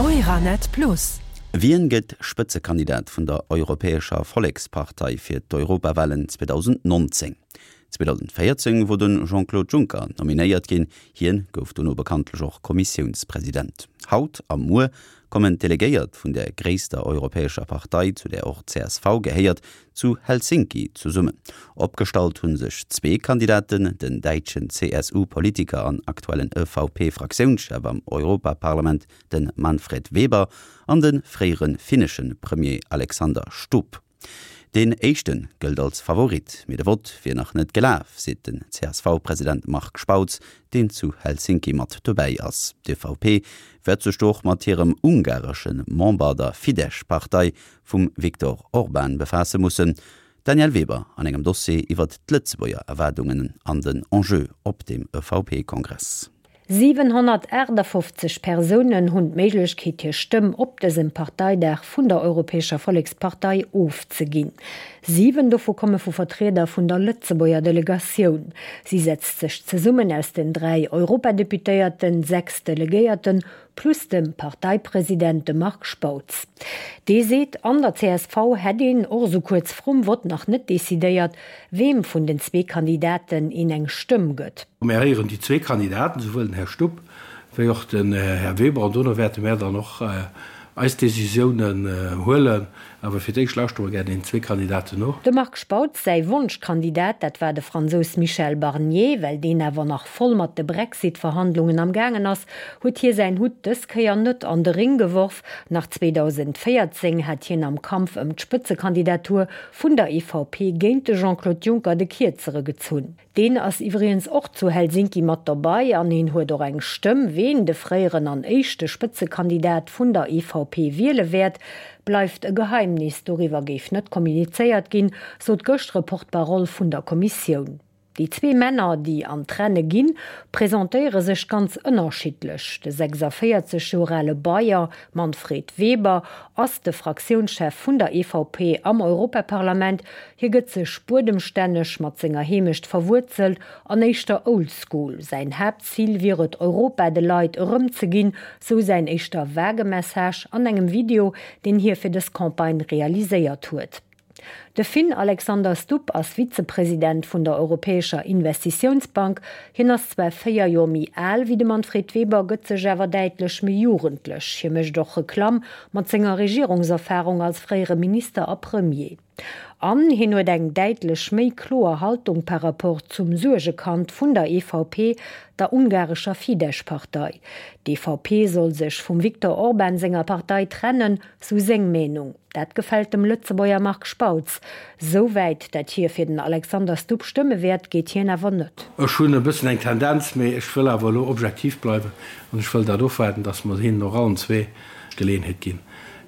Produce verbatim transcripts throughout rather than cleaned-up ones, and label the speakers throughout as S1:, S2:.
S1: Euranet Plus.
S2: Wien gëtt Spëtzekandidat vun der Europäescher Vollekspartei fir d'Europawalen zweedausendnonzéng? zweedausendvéierzéng wor de Jean-Claude Juncker nominéiert ginn, hien gouf dono bekanntlech och Kommissiounspresident. Haut a muer kommen d'Delegéiert vun der gréisster europäescher Partei, zu där och d'C S V gehéiert, zu Helsinki zesummen. Opgestallt hu sech zwee Kandidaten, den däitschen C S U-Politiker an aktuellen E V P-Fraktiounschef am Europaparlament, de Manfred Weber, an de fréiere finnesche Premier Alexander Stubb. Deen éischte gëllt als Favorit, mee de Vott wier nach net gelaf, seet den C S V-President Marc Spautz, deen zu Helsinki mat dobäi ass. D'E V P wäert sech do och mat hirem ungaresche Member, der Fidesz-Partei vum Viktor Orban, befaasse mussen. D'Danièle Weber an engem Dossier iwwert d'Lëtzebuerger Erwaardungen an den Enjeu op dem E V P-Kongress.
S3: siwenhonnertaachtafoffzeg Persounen hunn d'Méiglechkeet hir Stëmm op dësem Parteidag vun der Europäescher Vollekspartei ofzeginn. Siwen dovu komme vu Vertrieder vun der Lëtzebuerger Delegatioun. Si setzt sech zesummen aus den dräi Europadeputéierten, sechs Delegéierten, plus dem Parteipresident, dem Marc Spautz. Dee seet, an der C S V hätt een och esou kuerz vrum Vott nach net decidéiert, weem vun den zwee Kandidaten een eng Stëmm gëtt.
S4: Mär héieren déi zwee Kandidaten, souwuel den Här Stubb wéi och den Här Weber, an dono wäerte mär dann och eis Decisiounen huelen. Awer fir d'éischt lauschtere mer gär deenen zwee Kandidaten no.
S3: Dem Marc Spautz säi Wonschkandidat, dat war de Fransous Michel Barnier. Well deen awer nach voll mat de Brexit-Verhandlungen am gaangen ass, huet hie säin Hutt dës Kéier net an de Ring geworf. Nach zweedausendvéierzéng hat hien am Kampf ëm d'Spëtzekandidatur vun der E V P géint de Jean-Claude Juncker de Kierzere gezunn. Deen ass iwwregens och zu Helsinki mat dobäi an hien huet och eng Stëmm. Ween de fréieren an éischte Spëtzekandidat vun der E V P wiele wäert, bleift e Geheimnis, doriwwer géif net kommunizéiert ginn, sot gëschter e Porte-parole vun der Kommissioun. Déi zwee Männer, déi an d'Renne ginn, presentéiere sech ganz ënnerschiddlech. De sechsavéierzeg Joer ale Bayer Manfred Weber ass de Fraktiounschef vun der E V P am Europaparlament. Hie gëtt sech buedemstänneg, mat senger Heemecht verwuerzelt an éischter old school. Säin Haaptzil wier et, Europa de Leit erëmzeginn, sou säin éischter vage Message an engem Video, deen hie fir dës Campagne realiséiert huet. De Finn Alexander Stubb ass Vizepresident vun der Europäescher Investitiounsbank. Hien ass zwar véier Joer méi al wéi de Manfred Weber, gëtt sech awer däitlech méi jugendlech. Hie mécht och Reklamm mat senger Regierungserfarung als fréiere Minister a Premier. An hien huet eng däitlech méi kloer Haltung par rapport zum Suergekand vun der E V P, der ungarescher Fidesz-Partei. D'E V P soll sech vum Viktor Orban senger Partei trennen, sou seng Meenung. Dat gefält dem Lëtzebuerger Marc Spautz. Sou wäit, dat hie fir den Alexander Stubb stëmme wäert, geet hien awer net.
S4: Ech hunn e bëssen eng Tendenz, mee ech wëll awer elo objektiv bleiwen an ech wëll dat ofwaarden, datt mer hinnen och allen zwee d'Geleeënheet ginn,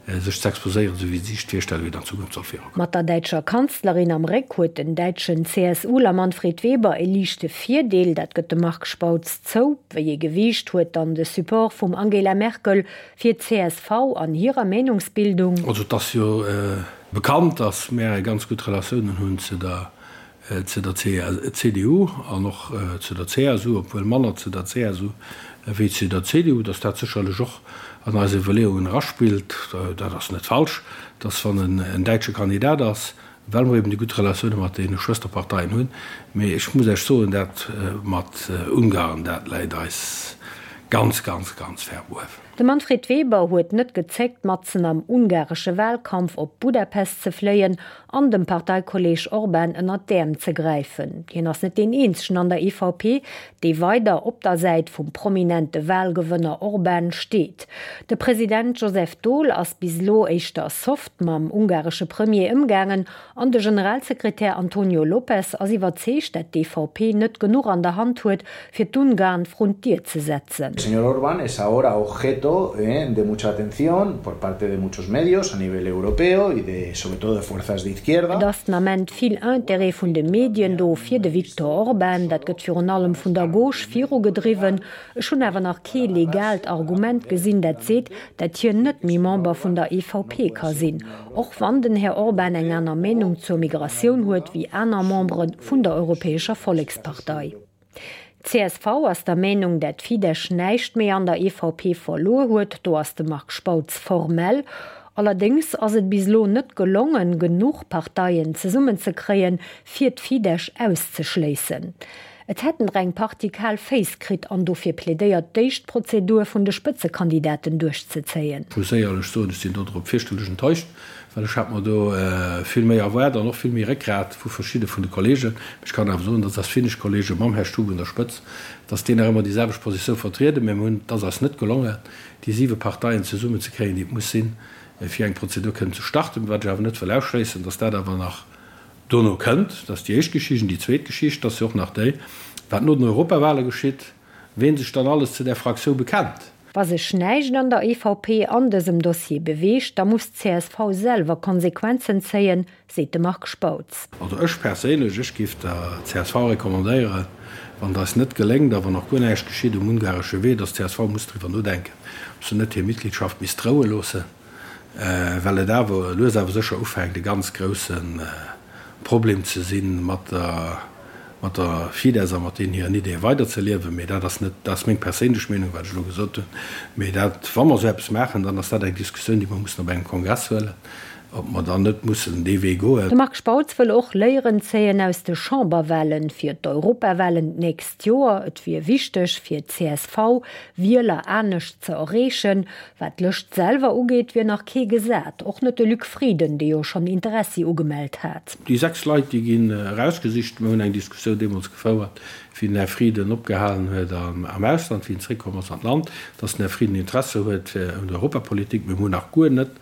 S4: sech ze exposéieren, esou wéi si sech virstellen, wéi et an Zukunft soll virugoen.
S3: Mat der däitscher Kanzlerin am Réck huet den däitschen C S Uler Manfred Weber e liichte Virdeel, dat gëtt de Marc Spautz zou. Wéi ee Gewiicht huet dann de Support vum Angela Merkel fir d'C S V an hirer Meenungsbildung?
S4: Also et ass jo bekannt, datt mär ganz gutt Relatiounen hunn zu der zu der C D U an och zu der C S U, obwuel manner zu der C S U wéi zu der C D U, datt dat sécherlech och an eis Iwwerleeungen eraspillt. Dat ass net falsch, datt wann en däitsche Kandidat ass, well mer eben déi gutt Relatioune mat deene Schwësterparteien hunn. Mee ech muss Iech soen, dat mat Ungarn, dat läit eis ganz, ganz, ganz verbuerf.
S3: De Manfred Weber huet net gezéckt, matzen am ungaresche Walkampf op Budapest ze fléien an dem Parteikolleeg Orban ënnert d'Äerm ze gräifen. Hien ass net deen eenzegen an der E V P, dee weider op der Säit vum prominente Walgewënner Orban steet. De President Joseph Daul ass bis elo éischter soft mam ungaresche Premier ëmgaangen an de Generalsekretär Antonio Lopez ass iwwerzeegt, dat d'E V P net genuch an der Hand huet, fir d'Ungarn vrun d'Dier ze setzen.
S5: El señor Orbán es ahora objeto de mucha atención por parte de muchos medios a nivel europeo y de, sobre todo de fuerzas de izquierda.
S3: Et ass den Ament vill Interêt vun de Medien do fir de Viktor Orban. Dat gëtt virun allem vun der Gauche virugedriwwen. Ech hunn awer nach kee legaalt Argument gesinn, dat seet, dat hien net méi Member vun der E V P ka sinn. Och wann den Här Orban eng aner Meenung zur Migratioun huet wéi aner Membere vun der Europäescher Vollekspartei. D'CSV ass der Meenung, dat d'Fidesz näischt méi an der EVP verluer huet, do ass de Marc Spautz formell. Allerdéngs ass et bis elo net gelongen, genuch Parteien zesummenzekréien, fir d'Fidesz auszeschléissen. Et hätten der eng Partie kal Féiss kritt an dofir plädéiert, d'éischt d'Prozedur vun de Spëtzekandidaten duerchzezéien.
S4: Ech muss éierlech soen, ech sinn do drop fierchterlech enttäuscht, well ech hat mer do vill méi erwaart an och vill méi Réckgrat vu verschidde vun de Kollegen. Ech kann awer soen, dass eis finnesch Kollege mam Här Stubb un der Spëtz, dass déi nach ëmmer déi selwecht Positioun vertrieden. Mä mir hunn, et ass eis net gelongen, déi siwe Parteien zesummenzekréien, déi et muss sinn, fir eng Prozedur kënnen ze starten. Wat ech awer net wëll ausschléissen, dass dat awer nach dono kënnt. Dat ass déi éischt Geschicht. An déi zweet Geschicht ass jo och nach déi, wat no den Europawale geschitt, ween sech dann alles zu där Fraktioun bekennt.
S3: Wa sech näischt an der EVP an dësem Dossier beweegt, da muss d'CSV selwer Konsequenzen zéien, seet de Marc Spautz.
S4: Also ech perséinlech, ech géif der csv recommandéieren, wann et eis net geléngt a wann och guer näischt geschitt um ungaresche Wee, datt d'CSV muss driwwer nodenken, ob se net hir Mitgliedschaft misst droue loossen. Well et awer lues awer sécher ufänkt e ganz grousse Problem ze sinn, mat der mat der Fidesz a mat deenen hiren Ideeë weiderzeliewen. Mee dat ass net, dat ass meng perséinlech Meenung, wat ech elo gesot hunn. Mee dat, wa mer esou eppes maachen, dann ass dat eng Diskussioun, déi mer mussen op engem Kongress huelen, ob mer dann net mussen dee Wee goen.
S3: De Marc Spautz wëll och Léieren zéien aus de Chamberwahlen fir d'Europawahlen d'nächst Joer. Et wier wichteg fir d'CSV, Wieler anescht ze erreechen. Wat d'Lëscht selwer ugeet, wier nach kee gesat, och net de Luc Frieden, dee jo schonn Interessi ugemellt hat.
S4: Déi sechs Leit, déi ginn erausgesicht. Mir hunn eng Diskussioun deemools gefouert, wéi den Här Frieden opgehalen huet am Ausland, wéi en zeréckkomm ass an d'Land, datt den Här Frieden Interesse huet un der Europapolitik. Mir hunn nach guer net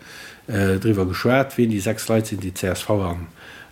S4: driwwer geschwat, wien déi sechs Leit sinn, déi d'CSV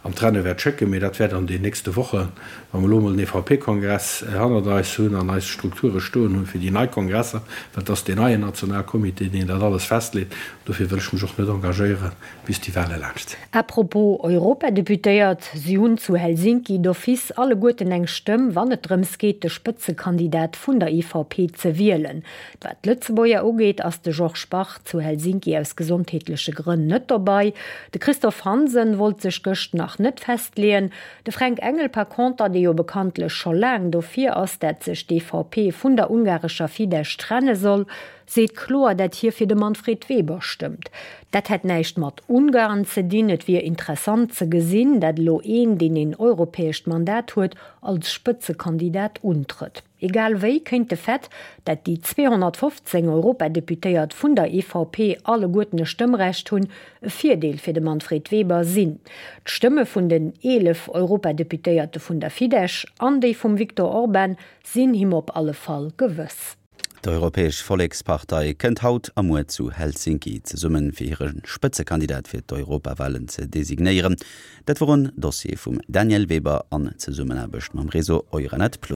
S4: an d'Renne wäert schécken. Mee dat wäert an den nächste Wochen, wa mer elo emol den EVP-Kongress hannert eis hunn an eis Strukture stoen hunn fir déi nei Kongresser, well et ass deen neien Nationalcomité, deen dat alles festleet. Dofir wëll ech mech och net engagéieren, bis déi Wahle laanscht sinn.
S3: À propos Europadeputéiert, Si hunn zu Helsinki d'office alleguerten eng Stëmm, wann et drëms geet, de Spëtzekandidat vun der EVP ze wielen. Wat d'Lëtzebuerger ugeet, ass de Georges Bach zu Helsinki aus gesondheetleche Grënn net dobei. De Christophe Hansen wollt sech gëscht nach net festleeën. De Fränk Engel par conter, dee jo bekanntlech scho laang dofir ass, dat sech d'EVP vun der ungarescher Fidesz trenne soll, seet kloer, dat hie fir de Manfred Weber stëmmt. Dat hätt näischt mat Ungarn ze dinn, et wier interessant ze gesinn, dat elo een, deen een europäescht Mandat huet, als Spëtzekandidat untrëtt. Egal wéi kéint de Fait, dat déi zweehonnertfofzéng Europadeputéiert vun der EVP alleguerten e Stëmmrecht hunn, e Virdeel fir de Manfred Weber sinn. D'Stëmme vun den eelef Europadeputéierte vun der Fidesz an déi vum Viktor Orban sinn him op alle Fall gewëss.
S2: D'Europäesch Vollekspartei kënnt haut a muer zu Helsinki zesummen, fir hire Spëtzekandidat fir d'Europawalen ze designéieren. Dat wor en Dossier vum Danièle Weber an Zesummenaarbecht mam Réseau Euranet Plus.